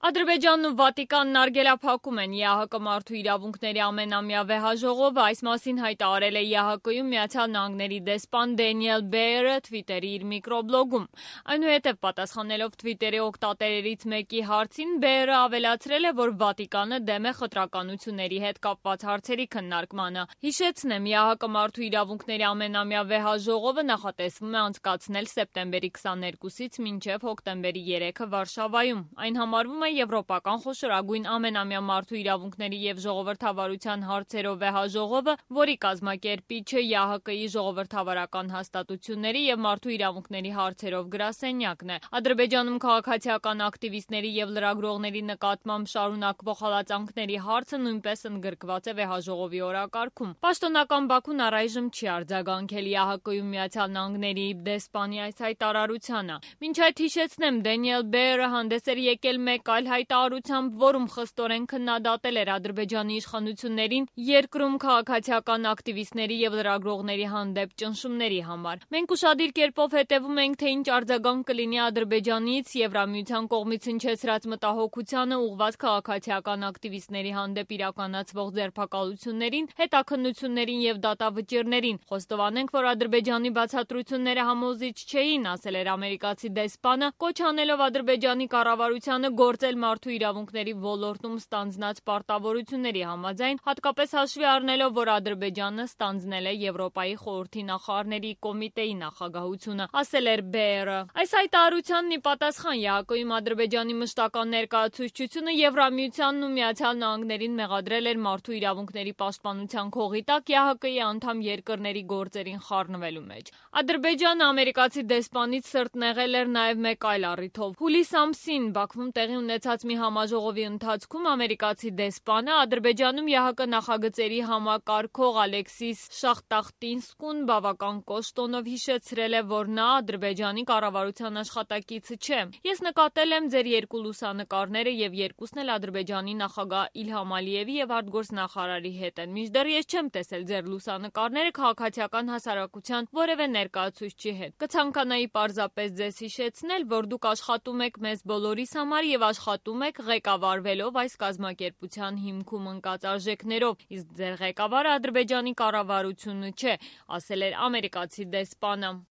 Ադրբեջանն ու Վատիկանն արգելափակում են ԵԱՀԿ մարդու իրավունքների ամենամյա վեհաժողովը, այս մասին հայտարարել է ԵԱՀԿ-ում Միացյալ Նահանգների դեսպան Դենիել Բեյերը Թվիտերի իր միկրոբլոգում։ Այնուհետև պատասխանելով Թվիտերի օգտատերերից մեկի հարցին, Բեյերը ավելացրել է, որ Վատիկանը դեմ է խտրականությունների հետ կապված հարցերի քննարկմանը։ Հիշեցնեմ, ԵԱՀԿ մարդու իրավունքների ամենամյա վեհաժողովը նախատեսվում է անցկացնել սեպտեմբերի 22-ից մինչև հոկտեմբերի 3-ը Վարշավայում։ Այն համարվում է եվրոպական խոշորագույն ամենամյա մարդու իրավունքների և ժողովրդավարության հարցերով վեհաժողովը, որի կազմակերպիչը ԵԱՀԿ-ի ժողովրդավարական հաստատությունների և մարդու իրավունքների հարցերով գրասենյակն է։ Ադրբեջանում քաղաքացիական ակտիվիստների և լրագրողների նկատմամբ շարունակվող հալածանքների հարցը նույնպես ընդգրկված է վեհաժողովի օրակարգում։ Պաշտոնական Բաքուն առայժմ չի արձագանքել ԵԱՀԿ-ում Միացյալ Նահանգների դեսպանի այս հայտարարությանը։ Մինչ այդ հիշեցնեմ, Դենիել Բեյերը հանդես էր եկել մեկ այլ հայտարարությամբ, որում խստորեն քննադատել էր Ադրբեջանի իշխանություններին երկրում քաղաքացիական ակտիվիստների և լրագրողների հանդեպ ճնշումների համար։ Մենք ուշադիր կերպով հետևում ենք, թե ինչ արձագանք կլինի Ադրբեջանից Եվրամիության կողմից հնչեցրած մտահոգությանը ուղղված քաղաքացիական ակտիվիստների հանդեպ իրականացվող ձերբակալություններին, հետաքննություններին և դատավճիռներին։ Խոստովանենք, որ Ադրբեջանի բացատրությունները համոզիչ չէին, ասել էր ամերիկացի դեսպանը, կոչ անելով Ադրբեջանի կառավարությանը գործել մարդու իրավունքների ոլորտում ստանձնած պարտավորությունների համաձայն, հատկապես հաշվի առնելով, որ Ադրբեջանը ստանձնել է Եվրոպայի խորհրդի նախարարների կոմիտեի նախագահությունը, ասել էր Բեյերը։ Այս հայտարարությանն ի պատասխան ԵԱՀԿ-ում Ադրբեջանի մշտական ներկայացուցչությունը Եվրամիությանն ու Միացյալ Նահանգներին մեղադրել էր մարդու իրավունքների պաշտպանության քողի տակ ԵԱՀԿ-ի անդամ երկրների գործերին խառնվելու մեջ։ Ադրբեջանը ամերիկացի դեսպանից սրտնեղել էր նաև մեկ այլ առիթով։ Հուլիս ամսին Բաքվում տեղի ունեցած մի համաժողովի ընթացքում ամերիկացի դեսպանը Ադրբեջանում ԵԱՀԿ նախագծերի համակարգող Ալեքսիս Շախտախտինսկուն բավական կոշտ տոնով հիշեցրել է, որ նա Ադրբեջանի կառավարության աշխատակիցը չէ։ Ես նկատել եմ ձեր երկու լուսանկարները և երկուսն էլ Ադրբեջանի նախագահ Իլհամ Ալիևի և արտգործնախարարի հետ են։ Մինչդեռ ես չեմ տեսել ձեր լուսանկարները քաղաքացիական հասարակության որևէ ներկայացուցչի հետ։ Կցանկանայի պարզապես ձեզ հիշեցնել, որ դուք աշխատում եք մեզ բոլորիս համար և աշխատում եք ղեկավարվելով այս կազմակերպության հիմքում ընկած արժեքներով, իսկ ձեր ղեկավարը Ադրբեջանի կառավարությունը չէ, ասել էր ամերիկացի դեսպանը։